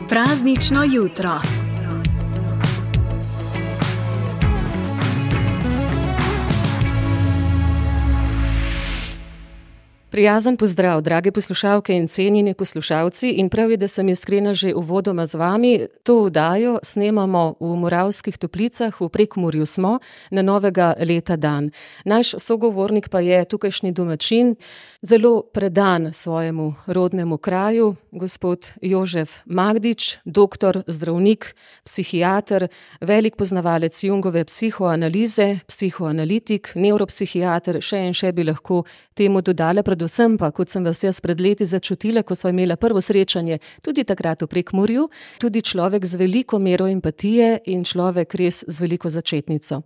Praznično jutro. Prijazen pozdrav, drage poslušalke in cenjeni poslušalci, in prav je, da sem iskrena že uvodoma z vami. To oddajo snemamo v Moravskih Toplicah, v Prekmurju smo, na novega leta dan. Naš sogovornik pa je tukajšnji domačin, zelo predan svojemu rodnemu kraju, gospod Jožef Magdič, doktor, zdravnik, psihiater, velik poznavalec Jungove psihoanalize, psihoanalitik, nevropsihiater, še bi lahko temu dodala, predvsem pa, kot sem vas jaz pred leti začutila, ko sva imela prvo srečanje, tudi takrat v Prekmurju, tudi človek z veliko mero empatije in človek res z veliko začetnico.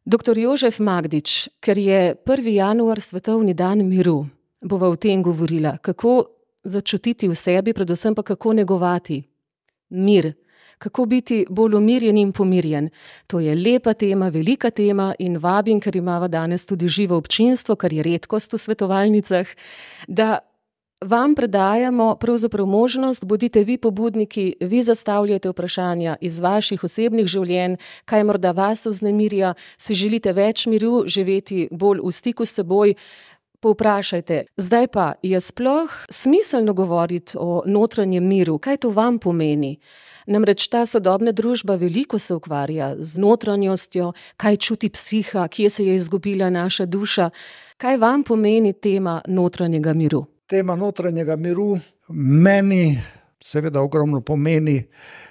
Doktor Jožef Magdič, ker je 1. januar svetovni dan miru, bova o tem govorila, kako začutiti v sebi, predvsem pa kako negovati mir, kako biti bolj umirjen in pomirjen. To je lepa tema, velika tema in vabim, ker imava danes tudi živo občinstvo, kar je redkost v svetovalnicah, da vam predajamo pravzaprav možnost, bodite vi pobudniki, vi zastavljate vprašanja iz vaših osebnih življenj, kaj morda vas vznemirja, si želite več miru, živeti bolj v stiku s seboj, povprašajte. Zdaj pa, je sploh smiselno govoriti o notranjem miru, kaj to vam pomeni? Namreč ta sodobna družba veliko se ukvarja z notranjostjo, kaj čuti psiha, kje se je izgubila naša duša. Kaj vam pomeni tema notranjega miru? Tema notranjega miru meni seveda ogromno pomeni.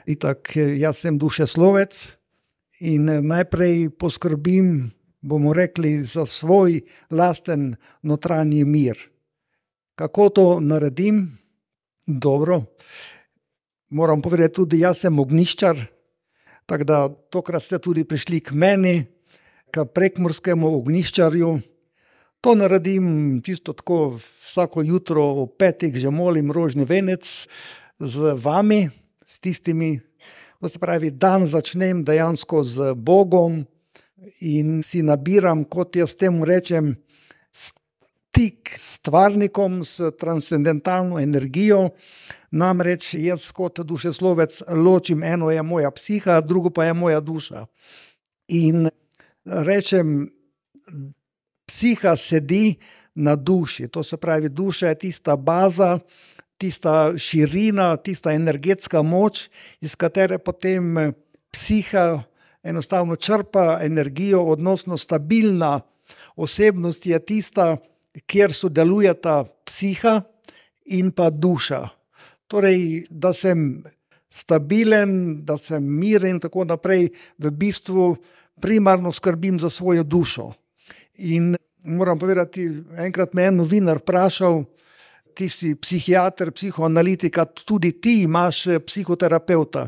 Itak, jaz sem dušeslovec in najprej poskrbim, bomo rekli, za svoj lasten notranji mir. Kako to naredim? Dobro. Moram povedati tudi, jaz sem ognjiščar, tako da tokrat ste tudi prišli k meni, k prekmurskemu ognjiščarju. To naredim čisto tako, vsako jutro ob 5 že molim rožni venec z vami, s tistimi, to se pravi, dan začnem dejansko z Bogom in si nabiram, kot jaz temu rečem, stik s stvarnikom, s transcendentalno energijo. Namreč jaz kot dušeslovec ločim, eno je moja psiha, drugo pa je moja duša. In rečem, psiha sedi na duši, to se pravi, duša je tista baza, tista širina, tista energetska moč, iz katere potem psiha enostavno črpa energijo, odnosno stabilna osebnost je tista, kjer sodelujeta psiha in pa duša. Torej, da sem stabilen, da sem miren in tako naprej, v bistvu primarno skrbim za svojo dušo. In moram povedati, enkrat me je novinar vprašal, ti si psihiater, psihoanalitika, tudi ti imaš psihoterapeuta.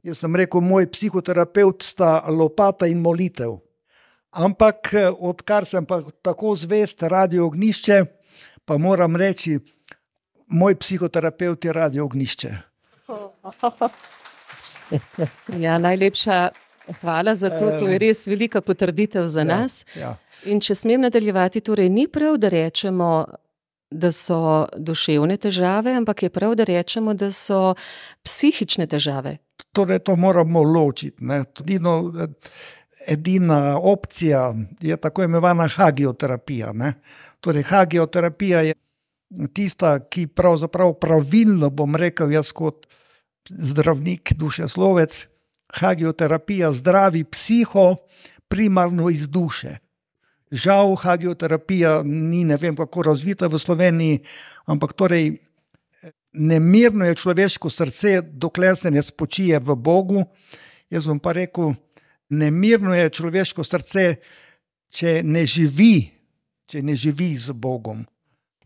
Jaz sem rekel, moj psihoterapeut sta lopata in molitev. Ampak odkar sem pa tako zvest Radio Ognjišče, pa moram reči, moj psihoterapeut je Radio Ognjišče. Ja, najlepša hvala za to, to je res velika potrditev za nas. Ja. In če smem nadaljevati, torej ni prav, da rečemo, da so duševne težave, ampak je prav, da rečemo, da so psihične težave. Torej, to moramo ločiti, ne. Edina opcija je tako imenovana hagioterapija, ne. Torej, hagioterapija je tista, ki pravzaprav pravilno, bom rekel jaz kot zdravnik, dušeslovec, hagioterapija zdravi psiho primarno iz duše. Žal, hagioterapija ni, ne vem kako razvita v Sloveniji, ampak torej nemirno je človeško srce, dokler se ne spočije v Bogu. Jaz bom pa rekel, nemirno je človeško srce, če ne živi z Bogom.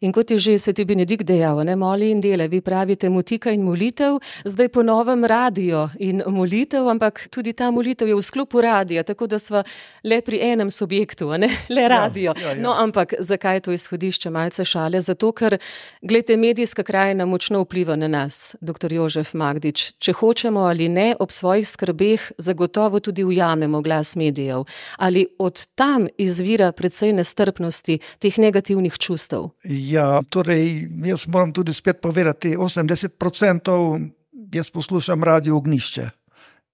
In kot je že Sveti Benedikt dejal, ne, moli in dela, vi pravite motika in molitev, zdaj po novem radio in molitev, ampak tudi ta molitev je v sklopu radija, tako da sva le pri enem subjektu, ne, le radio. Ja. No, ampak zakaj to izhodišče, malce šale? Zato, ker, glejte, medijska krajina močno vpliva na nas, doktor Jožef Magdič. Če hočemo ali ne, ob svojih skrbeh zagotovo tudi ujamemo glas medijev. Ali od tam izvira precej nestrpnosti, teh negativnih čustev? Ja, torej, jaz moram tudi spet povedati, 80% jaz poslušam Radio Ognjišče.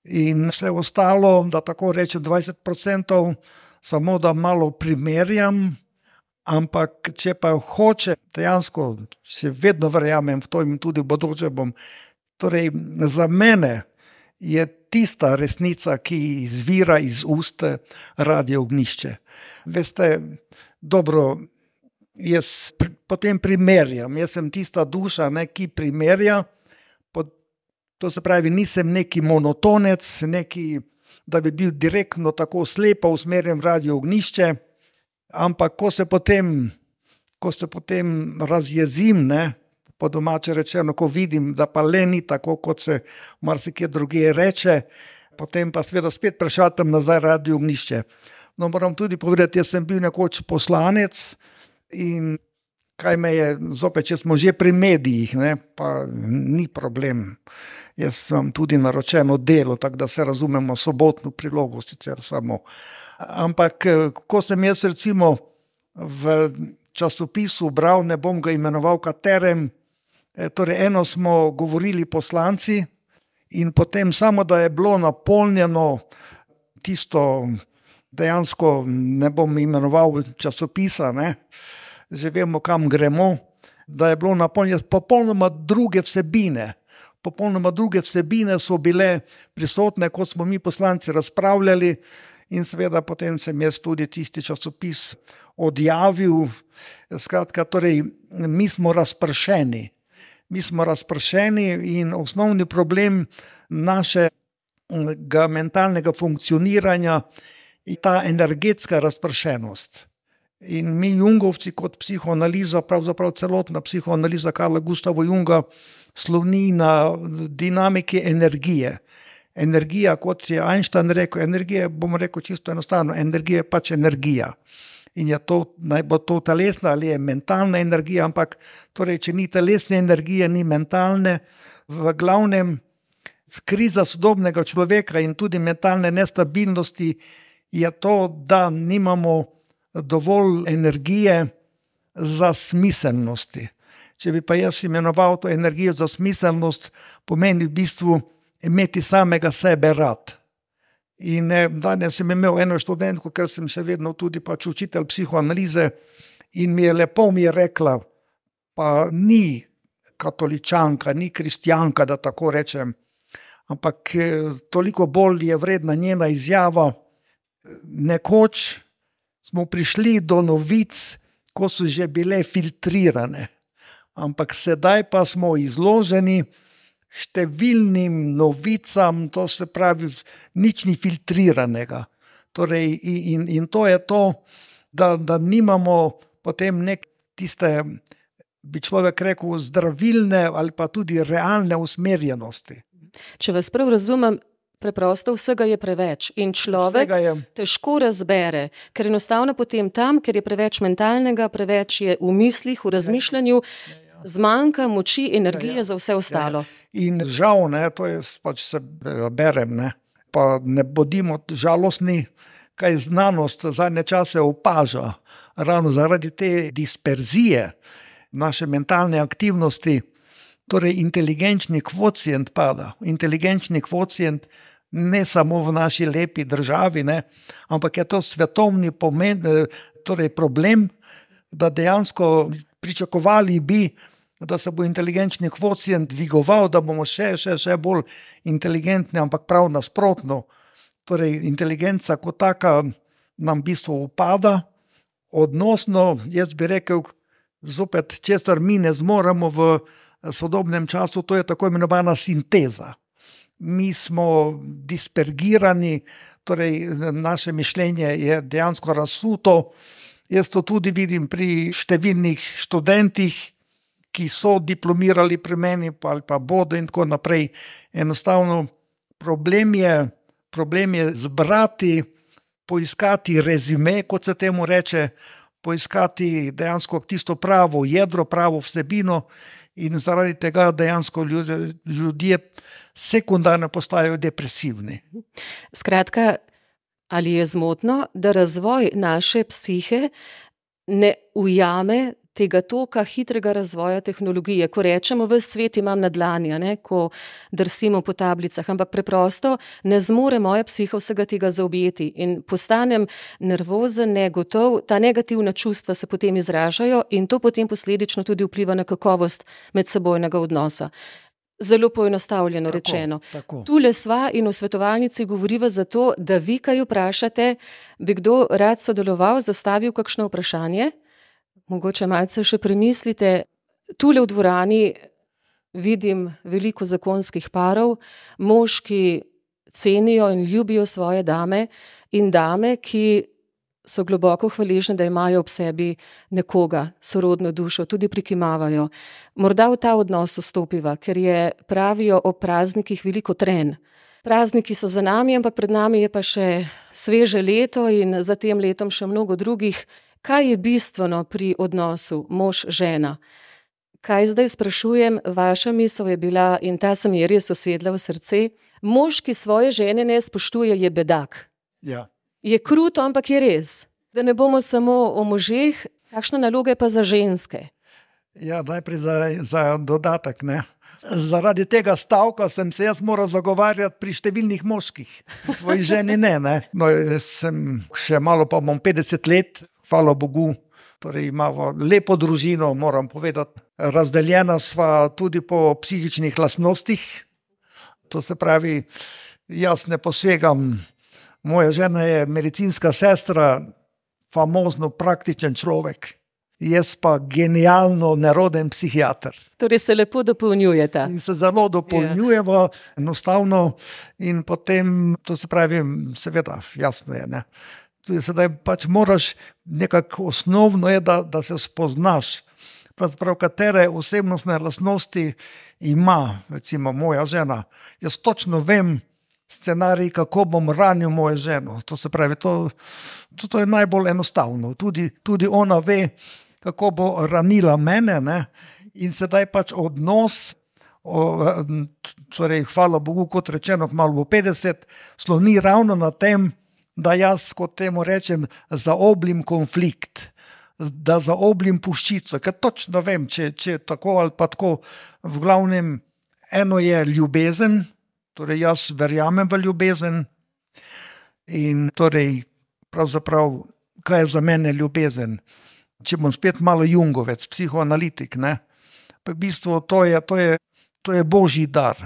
In vse ostalo, da tako rečem 20%, samo da malo primerjam, ampak če pa hoče, dejansko še vedno verjamem v to in tudi v bodoče bom. Torej, za mene je tista resnica, ki izvira iz ust Radio Ognjišče. Veste, dobro, jaz potem primerjam, jaz sem tista duša, ki primerja, to se pravi, nisem neki monotonec, da bi bil direktno tako slepo usmerjen v Radio Ognjišče, ampak ko se potem razjezim, po domače rečeno, ko vidim, da pa le ni tako, kot se marsikje drugje reče, potem pa seveda spet prešatam nazaj Radio Ognjišče. No, moram tudi povedati, jaz sem bil nekoč poslanec in kaj me je, zopet, če smo že pri medijih, pa ni problem. Jaz sem tudi naročeno delo, tako da se razumemo, sobotno prilogo sicer samo. Ampak, ko sem jaz recimo v časopisu bral, ne bom ga imenoval katerem, torej eno smo govorili poslanci in potem samo, da je bilo napolnjeno tisto, dejansko ne bom imenoval časopisa, že vemo, kam gremo, da je bilo napolnjeno popolnoma druge vsebine. Popolnoma druge vsebine so bile prisotne, kot smo mi poslanci razpravljali in seveda potem sem jaz tudi tisti časopis odjavil. Skratka, torej, mi smo razpršeni. Mi smo razpršeni in osnovni problem našega mentalnega funkcioniranja je ta energetska razpršenost. In mi Jungovci kot psihoanaliza, pravzaprav celotna psihoanaliza Carla Gustava Junga sloni na dinamiki energije. Energija, kot je Einstein rekel, energija, bom rekel čisto enostavno, energija je pač energija. In je to, naj bo to telesna ali je mentalna energija, ampak torej, če ni telesne energije, ni mentalne, v glavnem kriza sodobnega človeka in tudi mentalne nestabilnosti je to, da nimamo dovolj energije za smiselnosti. Če bi pa jaz imenoval to energijo za smiselnost, pomeni v bistvu imeti samega sebe rad. In danes sem imel eno študentko, ker sem še vedno tudi pač učitelj psihoanalize in mi je rekla, pa ni katoličanka, ni kristjanka, da tako rečem, ampak toliko bolj je vredna njena izjava. Nekoč smo prišli do novic, ko so že bile filtrirane, ampak sedaj pa smo izloženi številnim novicam, to se pravi, nič ni filtriranega. Torej, in to je to, da nimamo potem tiste, bi človek rekel, zdravilne ali pa tudi realne usmerjenosti. Če vas prav razumem, preprosto vsega je preveč in človek težko razbere, ker enostavno potem tam, ker je preveč mentalnega, preveč je v mislih, v razmišljanju, zmanjka moči, energije za vse ostalo. In žal, to je pač se berem, pa ne bodimo žalostni, kaj znanost zadnje čase opaža, ravno zaradi te disperzije naše mentalne aktivnosti, torej inteligenčni kvocient pada. Inteligenčni kvocient ne samo v naši lepi državi, ampak je to svetovni torej problem, da dejansko pričakovali bi, da se bo inteligenčni kvocient dvigoval, da bomo še bolj inteligentni, ampak prav nasprotno. Torej, inteligenca kot taka nam v bistvu upada. Odnosno, jaz bi rekel, zopet, česar mi ne zmoremo v sodobnem času, to je tako imenovana sinteza. Mi smo dispergirani, torej naše mišljenje je dejansko razsuto. Jaz to tudi vidim pri številnih študentih, ki so diplomirali pri meni ali pa bodo in tako naprej. Enostavno problem je zbrati, poiskati rezime, kot se temu reče, poiskati dejansko tisto pravo jedro, pravo vsebino in zaradi tega dejansko ljudje sekundarno postajajo depresivni. Skratka, ali je zmotno, da razvoj naše psihe ne ujame tega toka hitrega razvoja tehnologije, ko rečemo, ves svet imam na dlani, ne, ko drsimo po tablicah, ampak preprosto ne zmore moja psiha vsega tega zaobjeti in postanem nervozen, negotov, ta negativna čustva se potem izražajo in to potem posledično tudi vpliva na kakovost medsebojnega odnosa. Zelo poenostavljeno rečeno. Tule sva in v svetovalnici govoriva zato, da vi kaj vprašate, bi kdo rad sodeloval, zastavil kakšno vprašanje? Mogoče malce še premislite. Tule v dvorani vidim veliko zakonskih parov, moški cenijo in ljubijo svoje dame in dame, ki so globoko hvaležne, da imajo ob sebi nekoga, sorodno dušo, tudi prikimavajo. Morda v ta odnos vstopiva, ker je, pravijo, o praznikih veliko trenj. Prazniki so za nami, ampak pred nami je pa še sveže leto in za tem letom še mnogo drugih. Kaj je bistveno pri odnosu mož-žena? Kaj zdaj sprašujem, vaša misel je bila, in ta se mi je res usedla v srce, mož, ki svoje žene ne spoštuje, je bedak. Ja. Je kruto, ampak je res. Da ne bomo samo o možeh, kakšna naloga je pa za ženske? Ja, najprej za dodatek, ne. Zaradi tega stavka sem se jaz moral zagovarjati pri številnih moških, pri svoji ženi ne. No, jaz sem še malo, pa bom 50 let, hvala Bogu, torej imamo lepo družino, moram povedati. Razdeljena sva tudi po psihičnih lastnostih, to se pravi, jaz ne posegam. Moja žena je medicinska sestra, famozno praktičen človek. Jaz pa genialno neroden psihiater. Torej se lepo dopolnjujeta. In se zelo dopolnjujeva, enostavno, in potem, to se pravi, seveda, jasno je, ne. Tudi sedaj pač moraš, nekako osnovno je, da se spoznaš, pravzaprav katere osebnostne lastnosti ima, recimo moja žena. Jaz točno vem scenarij, kako bom ranil mojo ženo. To se pravi, to je najbolj enostavno. Tudi ona ve, kako bo ranila mene, ne? In sedaj pač odnos, torej, hvala Bogu, kot rečeno, malo bo 50, sloni ravno na tem, da jaz, kot temu rečem, zaoblim konflikt, da zaoblim puščico, ker točno vem, če tako ali pa tako, v glavnem, eno je ljubezen, torej jaz verjamem v ljubezen in torej pravzaprav, kaj je za mene ljubezen? Če bom spet malo Jungovec, psihoanalitik, ne? Pa v bistvu to je božji dar.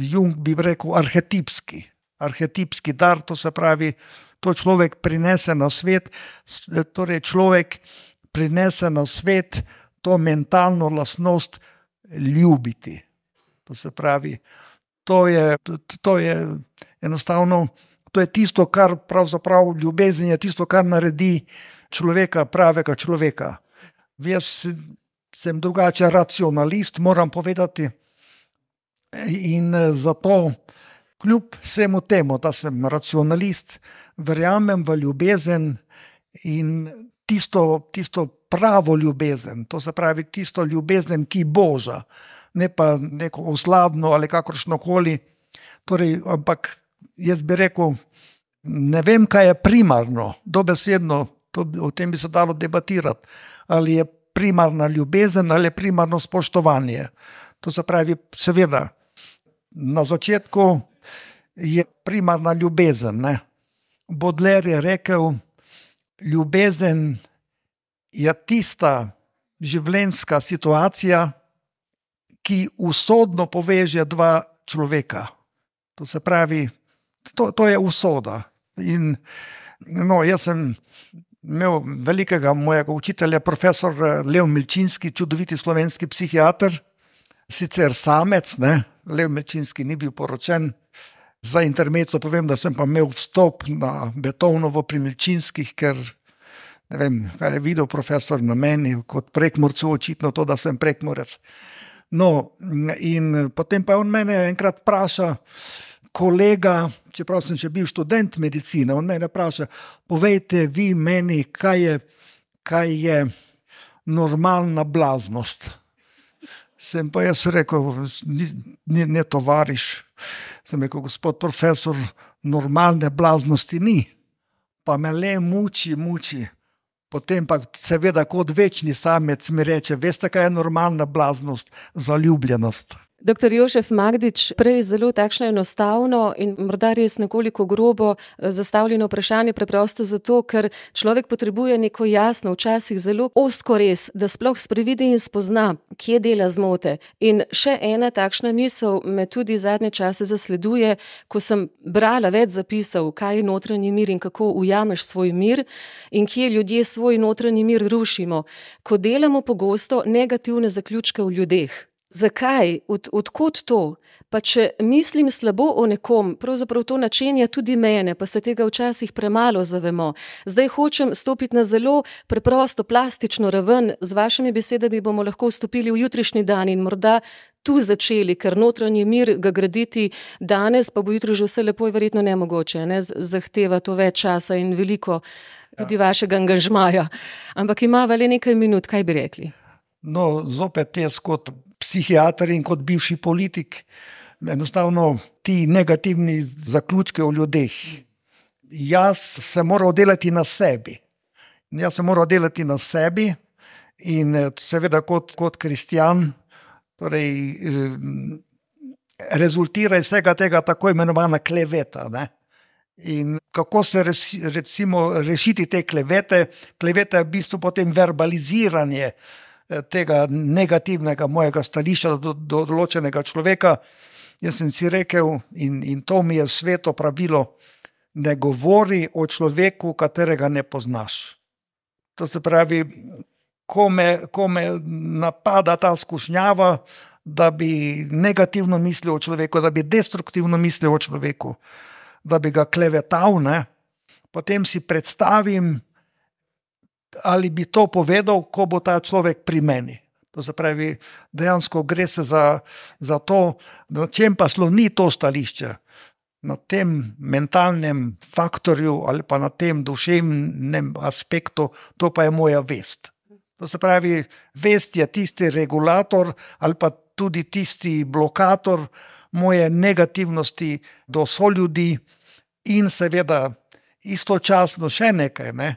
Jung bi rekel arhetipski dar, to se pravi, to človek prinese na svet, torej človek prinese na svet to mentalno lastnost ljubiti. To se pravi, to je enostavno, to je tisto, kar pravzaprav ljubezen je tisto, kar naredi človeka, pravega človeka. Jaz sem drugače racionalist, moram povedati, in zato kljub vsemu temu, da sem racionalist, verjamem v ljubezen in tisto pravo ljubezen, to se pravi tisto ljubezen, ki boža, ne pa neko osladno ali kakršnokoli. Torej, ampak jaz bi rekel, ne vem, kaj je primarno, dobesedno, o tem bi se dalo debatirati, ali je primarna ljubezen ali je primarno spoštovanje. To se pravi, seveda, na začetku je primarna ljubezen, ne. Baudelaire je rekel, ljubezen je tista življenjska situacija, ki usodno poveže dva človeka. To se pravi, to je usoda. In no, jaz sem imel velikega mojega učitelja, profesor Lev Milčinski, čudoviti slovenski psihiater, sicer samec, ne, Lev Milčinski ni bil poročen. Za intermezzo povem, da sem pa imel vstop na Beethovnovo pri Milčinskih, ker ne vem, kaj je videl profesor na meni, kot Prekmurcu, očitno to, da sem Prekmurec. No, in potem pa on mene enkrat vpraša, kolega, čeprav sem še bil študent medicine, on mene vpraša, povejte vi meni, kaj je normalna blaznost. Sem pa jaz rekel, ne tovariš, sem rekel, gospod profesor, normalne blaznosti ni, pa me le muči, Potem pa seveda kot večni samec mi reče, veste, kaj je normalna blaznost, zaljubljenost. Dr. Jožef Magdič, prej zelo takšno enostavno in morda res nekoliko grobo zastavljeno vprašanje, preprosto zato, ker človek potrebuje neko jasno, včasih zelo ozko res, da sploh sprevidi in spozna, kje dela zmote. In še ena takšna misel me tudi zadnje čase zasleduje, ko sem brala več zapisov, kaj je notranji mir in kako ujameš svoj mir in kje ljudje svoj notranji mir rušimo, ko delamo pogosto negativne zaključke v ljudeh. Zakaj? Odkot to? Pa če mislim slabo o nekom, pravzaprav to načenja tudi mene, pa se tega včasih premalo zavemo. Zdaj hočem stopiti na zelo preprosto, plastično raven, z vašimi besedami bomo lahko vstopili v jutrišnji dan in morda tu začeli, ker notranji mir ga graditi danes, pa bo jutro že vse lepo, je verjetno nemogoče, ne? Zahteva to več časa in veliko tudi vašega angažmaja. Ampak imava le nekaj minut, kaj bi rekli? No, zopet jaz kot psihiater in kot bivši politik, enostavno ti negativni zaključki o ljudeh. Jaz se moram delati na sebi. In seveda kot kristjan, torej rezultira iz vsega tega tako imenovana kleveta, ne? In kako se recimo rešiti te klevete? Kleveta je v bistvu potem verbaliziranje tega negativnega mojega stališča do določenega človeka. Jaz sem si rekel, in to mi je sveto pravilo, ne govori o človeku, katerega ne poznaš. To se pravi, ko me napada ta skušnjava, da bi negativno mislil o človeku, da bi destruktivno mislil o človeku, da bi ga klevetal, ne? Potem si predstavim, ali bi to povedal, ko bo ta človek pri meni. To se pravi, dejansko gre se za to, na čem pa sloni to stališče. Na tem mentalnem faktorju ali pa na tem duševnem aspektu, to pa je moja vest. To se pravi, vest je tisti regulator ali pa tudi tisti blokator moje negativnosti do soljudi in seveda istočasno še nekaj, ne?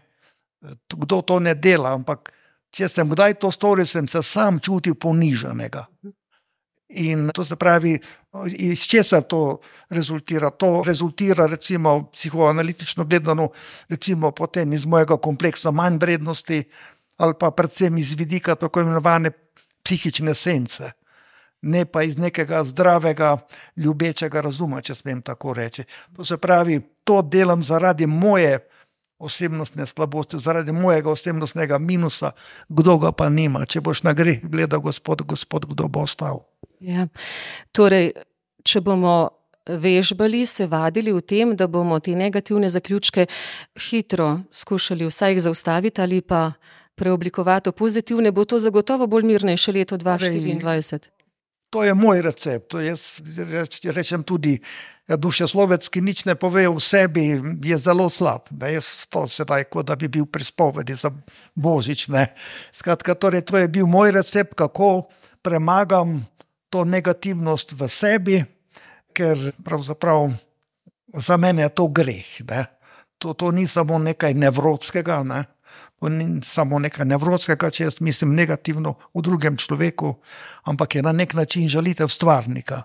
Kdo to ne dela, ampak če sem kdaj to storil, sem se sam čutil ponižanega. In to se pravi, iz česa to rezultira? To rezultira recimo psihoanalitično gledano, recimo potem iz mojega kompleksa manj vrednosti ali pa predvsem iz vidika tako imenovane psihične sence. Ne pa iz nekega zdravega, ljubečega razuma, če smem tako reči. To se pravi, to delam zaradi moje osebnostne slabosti, zaradi mojega osebnostnega minusa, kdo ga pa nima. Če boš na greh gledal, gospod, kdo bo ostal? Ja. Torej, če bomo vežbali, se vadili v tem, da bomo te negativne zaključke hitro skušali vsaj jih zaustaviti ali pa preoblikovati v pozitivne, bo to zagotovo bolj mirnejše leto 2024. To je moj recept. Jaz rečem tudi, dušeslovec, ki nič ne pove o sebi, je zelo slab. Jaz to sedaj, kot da bi bil pri spovedi za Božič. Skratka, torej, to je bil moj recept, kako premagam to negativnost v sebi, ker pravzaprav za mene je to greh. To ni samo nekaj nevrotskega, ne? To ni samo nekaj nevrotskega, če jaz mislim negativno v drugem človeku, ampak je na nek način žalitev stvarnika.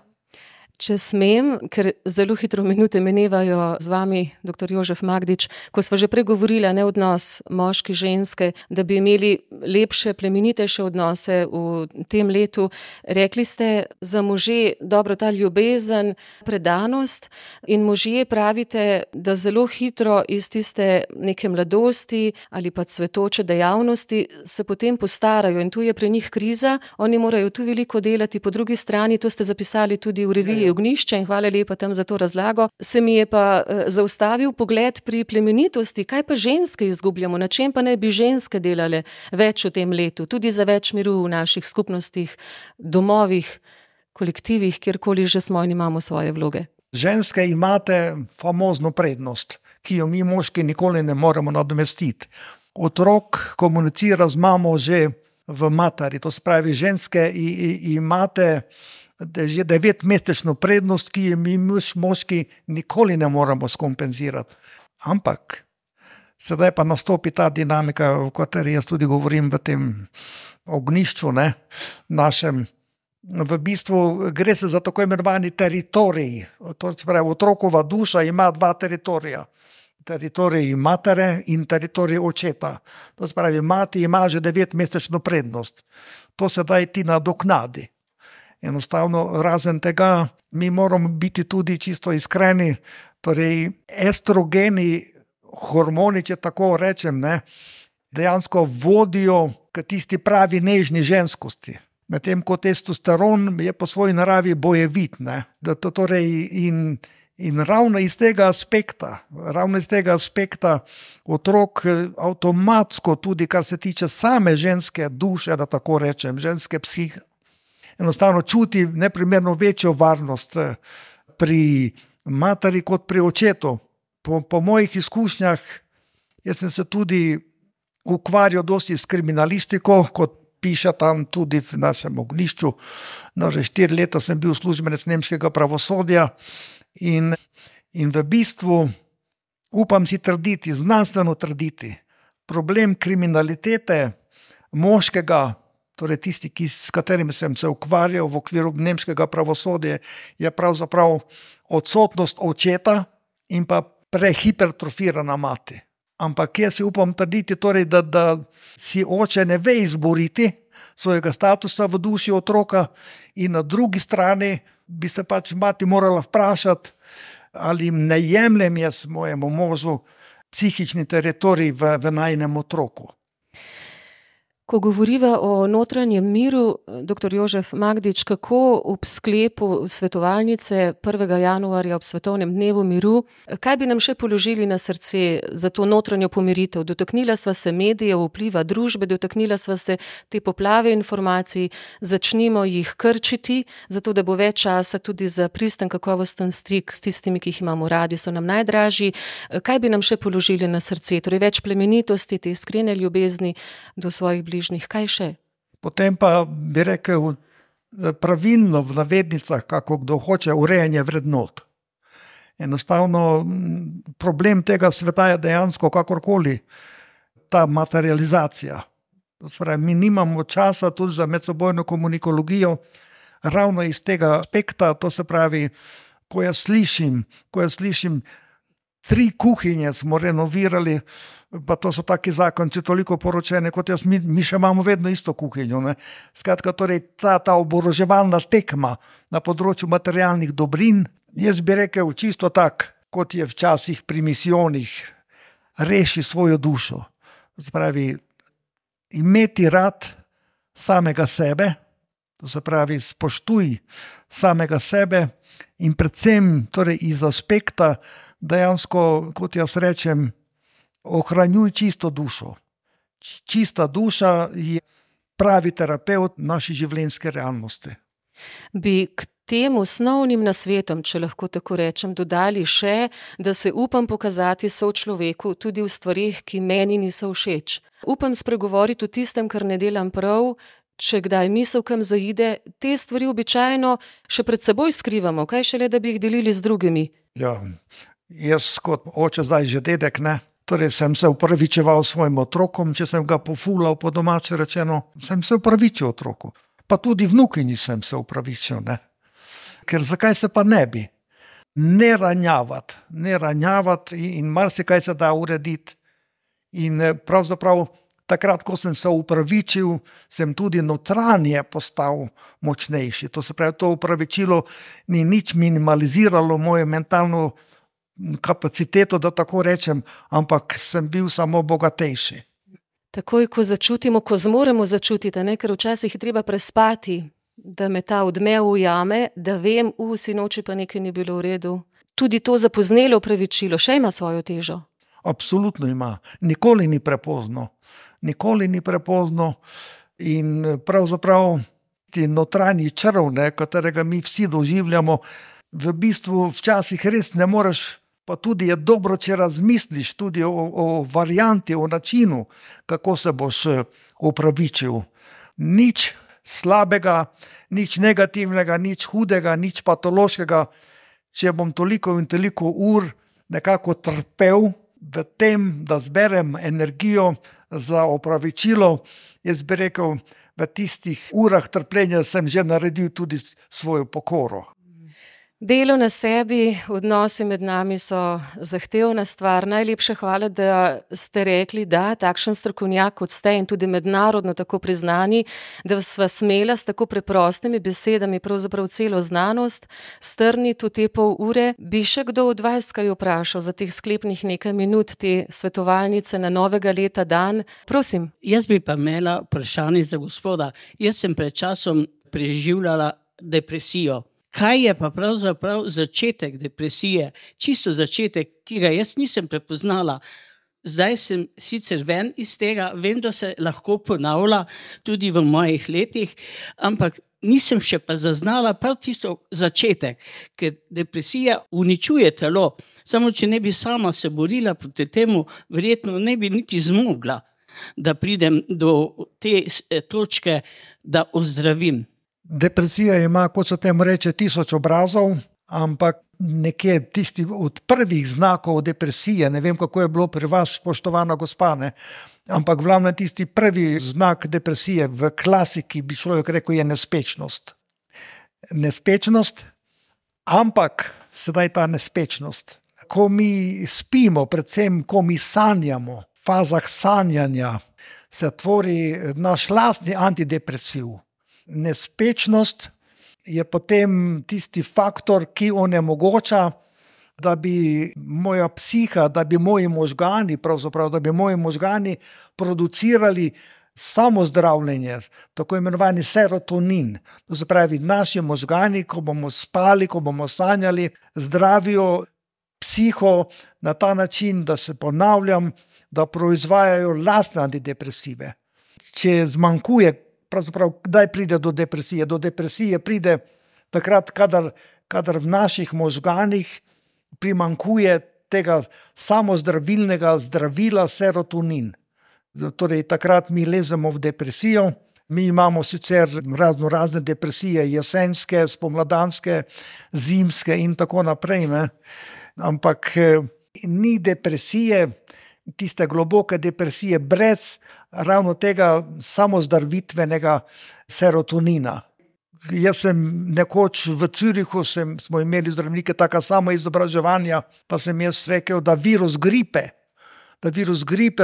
Če smem, ker zelo hitro minute minevajo z vami, dr. Jožef Magdič, ko sva že pregovorili, ne, odnos moški, ženske, da bi imeli lepše, plemenitejše odnose v tem letu. Rekli ste za može, dobro, ta ljubezen, predanost, in možje pravite, da zelo hitro iz tiste neke mladosti ali pa cvetoče dejavnosti se potem postarajo in tu je pri njih kriza, oni morajo tu veliko delati, po drugi strani, to ste zapisali tudi v reviji Ognjišče in hvala lepa tam za to razlago. Se mi je pa zaustavil pogled pri plemenitosti, kaj pa ženske izgubljamo, na čem pa ne bi ženske delale več v tem letu, tudi za več miru v naših skupnostih, domovih, kolektivih, kjerkoli že smo in imamo svoje vloge. Ženske imate famozno prednost, ki jo mi moški nikoli ne moremo nadomestiti. Otrok komunicira z mamo že v materi, to se pravi, ženske imate že 9-mesečno prednost, ki jo mi moški nikoli ne moramo skompenzirati. Ampak Sedaj pa nastopi ta dinamika, o kateri jaz tudi govorim v tem ognjišču, ne, našem. V bistvu gre se za tako imenovani teritorij. To se pravi, otrokova duša ima dva teritorija. Teritorij matere in teritorij očeta. To se pravi, mati ima že 9-mesečno prednost. To sedaj ti nadoknadi. Enostavno, razen tega, mi moramo biti tudi čisto iskreni, torej estrogeni hormoni, če tako rečem, ne, dejansko vodijo k tisti pravi nežni ženskosti. Medtem ko testosteron je po svoji naravi bojevit, ne. In ravno iz tega aspekta otrok avtomatsko tudi, kar se tiče same ženske duše, da tako rečem, ženske psihe, enostavno čuti neprimerno večjo varnost pri materi kot pri očetu. Po mojih izkušnjah, jaz sem se tudi ukvarjal dosti s kriminalistiko, kot piše tam tudi v našem ognjišču. No, že 4 leta sem bil uslužbenec nemškega pravosodja in v bistvu upam si trditi, znanstveno trditi, problem kriminalitete moškega, torej tisti, s katerimi sem se ukvarjal v okviru nemškega pravosodja, je pravzaprav odsotnost očeta in pa prehipertrofirana mati. Ampak jaz si upam trditi, torej, da si oče ne ve izboriti svojega statusa v duši otroka in na drugi strani bi se pač mati morala vprašati, ali ne jemljem jaz mojemu možu psihični teritorij v najinem otroku. Ko govoriva o notranjem miru, dr. Jožef Magdič, kako ob sklepu svetovalnice 1. januarja ob Svetovnem dnevu miru, kaj bi nam še položili na srce za to notranjo pomiritev? Dotaknila sva se medijev, vpliva družbe, dotaknila sva se te poplave informacij, začnimo jih krčiti, zato da bo več časa tudi za pristen kakovosten stik s tistimi, ki jih imamo radi, so nam najdražji. Kaj bi nam še položili na srce? Torej več plemenitosti, te iskrene ljubezni do svojih bližnjih. Kaj še? Potem pa bi rekel pravilno v navednicah, kako kdo hoče, urejanje vrednot. Enostavno problem tega sveta je dejansko kakorkoli ta materializacija. To se pravi, mi nimamo časa tudi za medsebojno komunikologijo, ravno iz tega aspekta, to se pravi, ko jaz slišim 3 kuhinje smo renovirali, pa to so taki zakonci toliko poročene kot jaz, mi še imamo vedno isto kuhinjo, ne. Skratka, torej ta oboroževalna tekma na področju materialnih dobrin, jaz bi rekel čisto tak, kot je včasih pri misijonih, reši svojo dušo. To se pravi, imeti rad samega sebe, to se pravi, spoštuj samega sebe in predvsem torej iz aspekta dejansko, kot jaz rečem, ohranjuj čisto dušo. Čista duša je pravi terapevt naši življenjske realnosti. Bi k tem osnovnim nasvetom, če lahko tako rečem, dodali še, da se upam pokazati sočloveku tudi v stvarih, ki meni niso všeč. Upam spregovoriti o tistem, kar ne delam prav, če kdaj misel kam zaide, te stvari običajno še pred seboj skrivamo, kaj šele, da bi jih delili z drugimi. Ja, jaz kot oče, zdaj že dedek, ne, torej sem se upravičeval svojim otrokom, če sem ga pofulal po domače rečeno, sem se upravičil otroku. Pa tudi vnukinji sem se upravičil, ne. Ker zakaj se pa ne bi? Ne ranjavati in marsikaj se da urediti. In pravzaprav takrat, ko sem se upravičil, sem tudi notranje postal močnejši. To se pravi, to upravičilo ni nič minimaliziralo mojo mentalno kapaciteto, da tako rečem, ampak sem bil samo bogatejši. Takoj, ko začutimo, ko zmoremo začutiti, ne? Ker včasih je treba prespati, da me ta odmev ujame, da vem, sinoči pa nekaj ni bilo v redu. Tudi to zapoznelo opravičilo še ima svojo težo. Absolutno ima. Nikoli ni prepozno. In pravzaprav ti notranji črv, katerega mi vsi doživljamo, v bistvu včasih res ne moreš, pa tudi je dobro, če razmisliš tudi o varianti, o načinu, kako se boš opravičil. Nič slabega, nič negativnega, nič hudega, nič patološkega. Če bom toliko in toliko ur nekako trpel, v tem, da zberem energijo za opravičilo, jaz bi rekel, v tistih urah trpljenja sem že naredil tudi svojo pokoro. Delo na sebi, odnosi med nami so zahtevna stvar. Najlepša hvala, da ste rekli, da takšen strokovnjak kot ste in tudi mednarodno tako priznani, da sva smela s tako preprostimi besedami pravzaprav celo znanost strniti v te pol ure. Bi še kdo od vas kaj vprašal za teh sklepnih nekaj minut, te svetovalnice na novega leta dan? Prosim. Jaz bi pa imela vprašanje za gospoda. Jaz sem pred časom preživljala depresijo. Kaj je pa pravzaprav začetek depresije, čisto začetek, ki ga jaz nisem prepoznala. Zdaj sem sicer ven iz tega, vem, da se lahko ponavlja tudi v mojih letih, ampak nisem še pa zaznala prav tisto začetek, ker depresija uničuje telo. Samo če ne bi sama se borila proti temu, verjetno ne bi niti zmogla, da pridem do te točke, da ozdravim. Depresija ima, kot se temu reče, 1000 obrazov, ampak nekje tisti od prvih znakov depresije, ne vem, kako je bilo pri vas, spoštovana gospa, ne? Ampak glavno tisti prvi znak depresije v klasiki, bi človek rekel, je nespečnost. Nespečnost, ampak sedaj ta nespečnost. Ko mi spimo, predvsem ko mi sanjamo, v fazah sanjanja, se tvori naš lastni antidepresiv. Nespečnost je potem tisti faktor, ki onemogoča, da bi moja psiha, da bi moji možgani, pravzaprav, da bi moji možgani producirali samozdravljenje, tako imenovani serotonin. To se pravi, naši možgani, ko bomo spali, ko bomo sanjali, zdravijo psiho na ta način, da se ponavljam, da proizvajajo lastne antidepresive. Če zmanjkuje, pravzaprav, kdaj pride do depresije? Do depresije pride takrat, kadar v naših možganih primanjkuje tega samozdravilnega zdravila serotonin. Torej, takrat mi lezemo v depresijo. Mi imamo sicer razne depresije, jesenske, spomladanske, zimske in tako naprej, ne? Ampak ni depresije, tiste globoke depresije brez ravno tega samozdravitvenega serotonina. Jaz sem nekoč v Zürichu, smo imeli zdravnike taka samo izobraževanja, pa sem jaz rekel, da virus gripe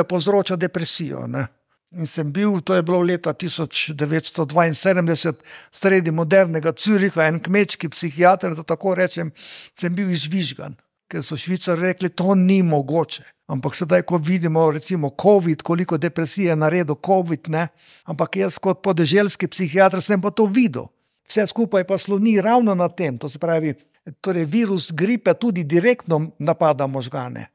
povzroča depresijo, ne? In sem bil, to je bilo leta 1972, sredi modernega Züricha, en kmečki psihiater, da tako rečem, sem bil izvižgan. Ker so Švicarji rekli, to ni mogoče. Ampak sedaj, ko vidimo recimo COVID, koliko depresije je naredil COVID, ne? Ampak jaz kot podeželski psihiater sem pa to videl. Vse skupaj pa sloni ravno na tem, to se pravi, torej virus gripe tudi direktno napada možgane.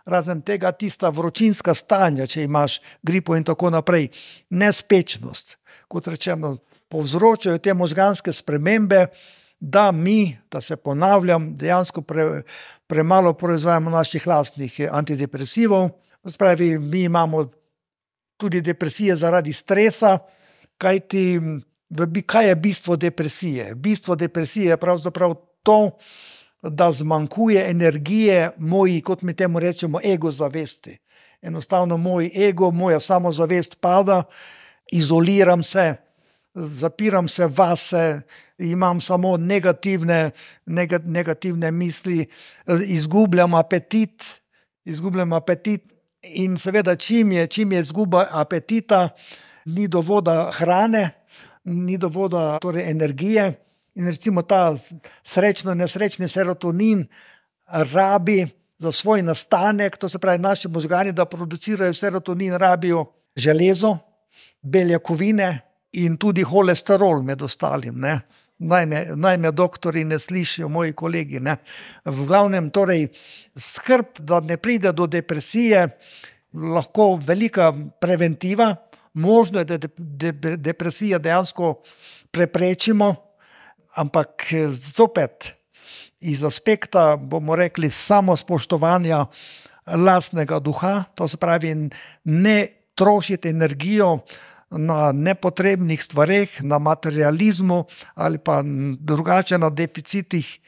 Razen tega tista vročinska stanja, če imaš gripo in tako naprej, nespečnost, kot rečeno, povzročajo te možganske spremembe, da se ponavljam, dejansko premalo proizvajamo naših lastnih antidepresivov. Spravi, mi imamo tudi depresije zaradi stresa, kaj je bistvo depresije? Bistvo depresije je pravzaprav to, da zmanjkuje energije moji, kot mi temu rečemo, ego zavesti. Enostavno moj ego, moja samozavest pada, izoliram se, zapiram se vase, imam samo negativne misli, izgubljam apetit in seveda čim je izguba apetita, ni dovolj hrane, ni dovolj torej energije in recimo ta nesrečni serotonin rabi za svoj nastanek, to se pravi naši možgani, da producirajo serotonin, rabijo železo, beljakovine in tudi holesterol med ostalim, ne. Naj me doktori ne slišijo, moji kolegi, ne. V glavnem, torej, skrb, da ne pride do depresije, lahko velika preventiva, možno je, da depresija dejansko preprečimo, ampak zopet iz aspekta, bomo rekli, samospoštovanja lastnega duha, to se pravi, ne trošiti energijo na nepotrebnih stvareh, na materializmu ali pa drugače na deficitih.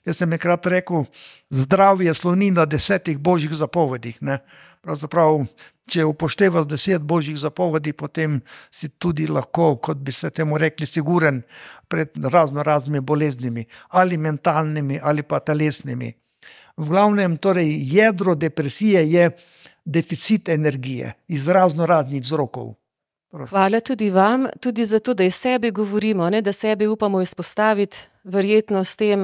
Jaz sem enkrat rekel, zdravje sloni na 10 božjih zapovedih. Ne? Pravzaprav, če upoštevaš 10 božjih zapovedi, potem si tudi lahko, kot bi se temu rekli, siguren pred raznimi boleznimi, ali mentalnimi, ali pa telesnimi. V glavnem, torej, jedro depresije je deficit energije iz raznih vzrokov. Hvala tudi vam, tudi za to, da iz sebe govorimo, ne, da sebe upamo izpostaviti, verjetno s tem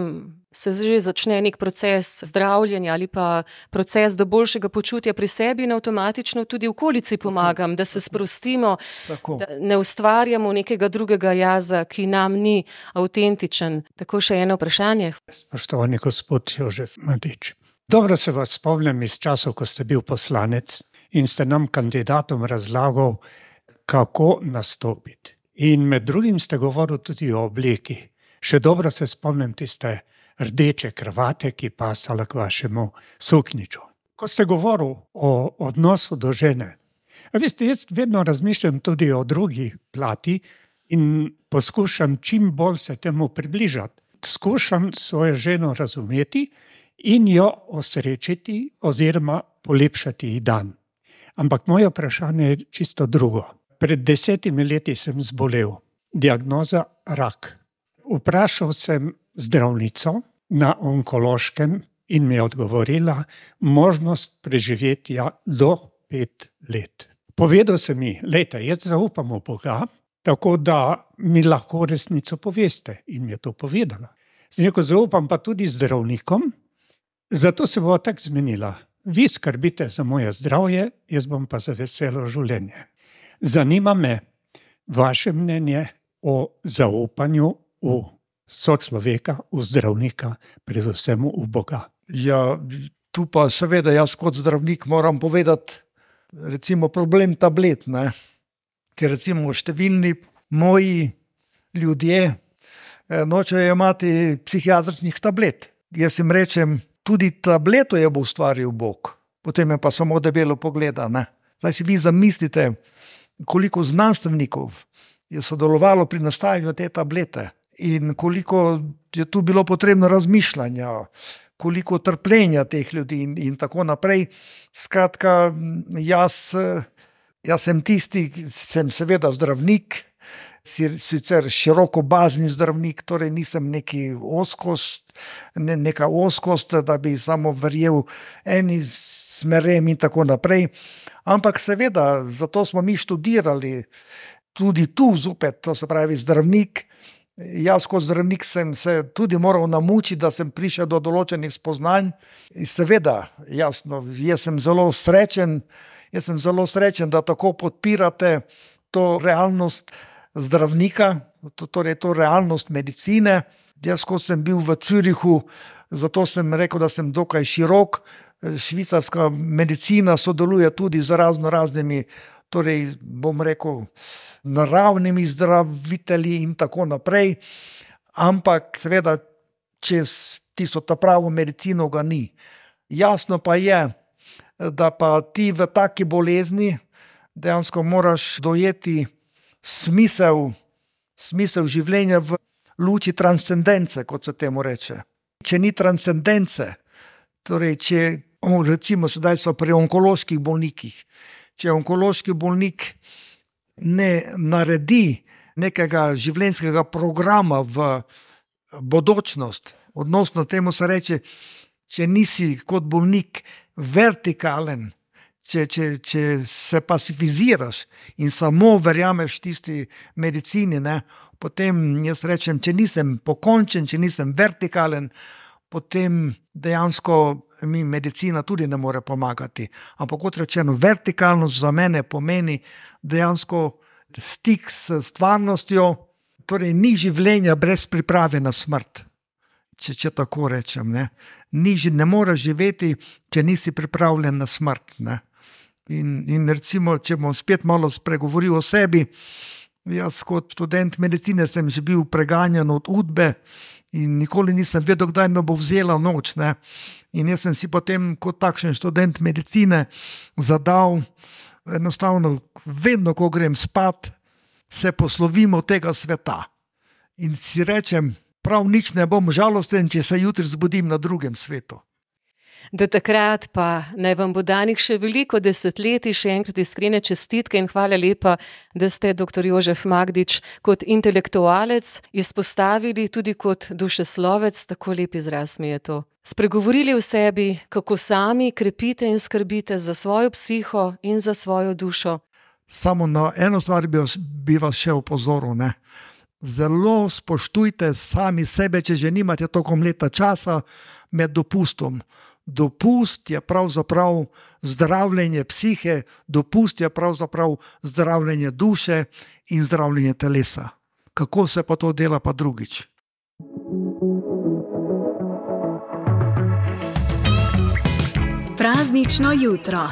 se že začne nek proces zdravljenja ali pa proces do boljšega počutja pri sebi in avtomatično tudi okolici pomagam, da se sprostimo, da ne ustvarjamo nekega drugega jaza, ki nam ni avtentičen. Tako še eno vprašanje. Spoštovani gospod Jožef Madič, dobro se vas spomnim iz časov, ko ste bil poslanec in ste nam kandidatom razlagal, kako nastopiti. In med drugim ste govorili tudi o obleki. Še dobro se spomnim tiste rdeče kravate, ki pasala k vašemu suknjiču. Ko ste govorili o odnosu do žene, veste, jaz vedno razmišljam tudi o drugi plati in poskušam čim bolj se temu približati. Skušam svojo ženo razumeti in jo osrečiti oziroma polepšati ji dan. Ampak moje vprašanje je čisto drugo. Pred 10 leti sem zbolel. Diagnoza rak. Vprašal sem zdravnico na onkološkem in mi je odgovorila možnost preživetja do 5 let. Povedal sem mi, lejte, jaz zaupam v Boga, tako da mi lahko resnico poveste. In mi je to povedala. Neko zaupam pa tudi zdravnikom, zato se bo tako zmenila. Vi skrbite za moje zdravje, jaz bom pa za veselo življenje. Zanima me vaše mnenje o zaupanju v sočloveka, v zdravnika, predvsem v Boga. Ja, tu pa seveda jaz kot zdravnik moram povedati, recimo problem tablet, ne? Ker recimo številni moji ljudje nočejo imati psihiatričnih tablet. Jaz jim rečem, tudi tableto je bo ustvaril Bog, potem je pa samo debelo pogleda. Ne? Zdaj si vi zamislite, koliko znanstvenikov je sodelovalo pri nastajanju te tablete in koliko je tu bilo potrebno razmišljanja, koliko trpljenja teh ljudi in tako naprej. Skratka, jaz sem tisti, sem seveda zdravnik, sicer širokobazni zdravnik, torej nisem neka ozkost, da bi samo verjel eni smerem in tako naprej. Ampak seveda, zato smo mi študirali tudi tu zopet, to se pravi zdravnik. Jaz kot zdravnik sem se tudi moral namučiti, da sem prišel do določenih spoznanj. In seveda, jasno, jaz sem zelo srečen, da tako podpirate to realnost zdravnika, torej to realnost medicine. Jaz, ko sem bil v Zürichu, zato sem rekel, da sem dokaj širok. Švicarska medicina sodeluje tudi z raznimi, torej bom rekel, naravnimi zdravitelji in tako naprej. Ampak seveda, čez tisto ta pravo medicino ga ni. Jasno pa je, da pa ti v taki bolezni dejansko moraš dojeti smisel življenja v luči transcendence, kot se temu reče. Če ni transcendence, torej če recimo sedaj so pri onkoloških bolnikih, če onkološki bolnik ne naredi nekega življenjskega programa v bodočnost, odnosno temu se reče, če nisi kot bolnik vertikalen, če se pasifiziraš in samo verjameš tisti medicini, ne, potem jaz rečem, če nisem pokončen, če nisem vertikalen, potem dejansko mi medicina tudi ne more pomagati. Ampak kot rečeno, vertikalnost za mene pomeni dejansko stik s stvarnostjo, torej ni življenja brez priprave na smrt, če tako rečem. Ne moreš živeti, če nisi pripravljen na smrt. Ne? In recimo, če bom spet malo spregovoril o sebi, jaz kot študent medicine sem že bil preganjan od udbe in nikoli nisem vedel, kdaj me bo vzela noč. Ne? In jaz sem si potem kot takšen študent medicine zadal enostavno, vedno, ko grem spat, se poslovimo tega sveta. In si rečem, prav nič ne bom žalosten, če se jutri zbudim na drugem svetu. Do takrat pa naj vam bo danih še veliko desetletij, še enkrat iskrene čestitke in hvala lepa, da ste dr. Jožef Magdič kot intelektualec izpostavili tudi kot dušeslovec, tako lep izraz mi je to. Spregovorili v sebi, kako sami krepite in skrbite za svojo psiho in za svojo dušo. Samo na eno stvar bi vas še opozoril, ne. Zelo spoštujte sami sebe, če že nimate toliko leta časa med dopustom. Dopust je pravzaprav zdravljenje psihe, dopust je pravzaprav zdravljenje duše in zdravljenje telesa. Kako se pa to dela pa drugič? Praznično jutro.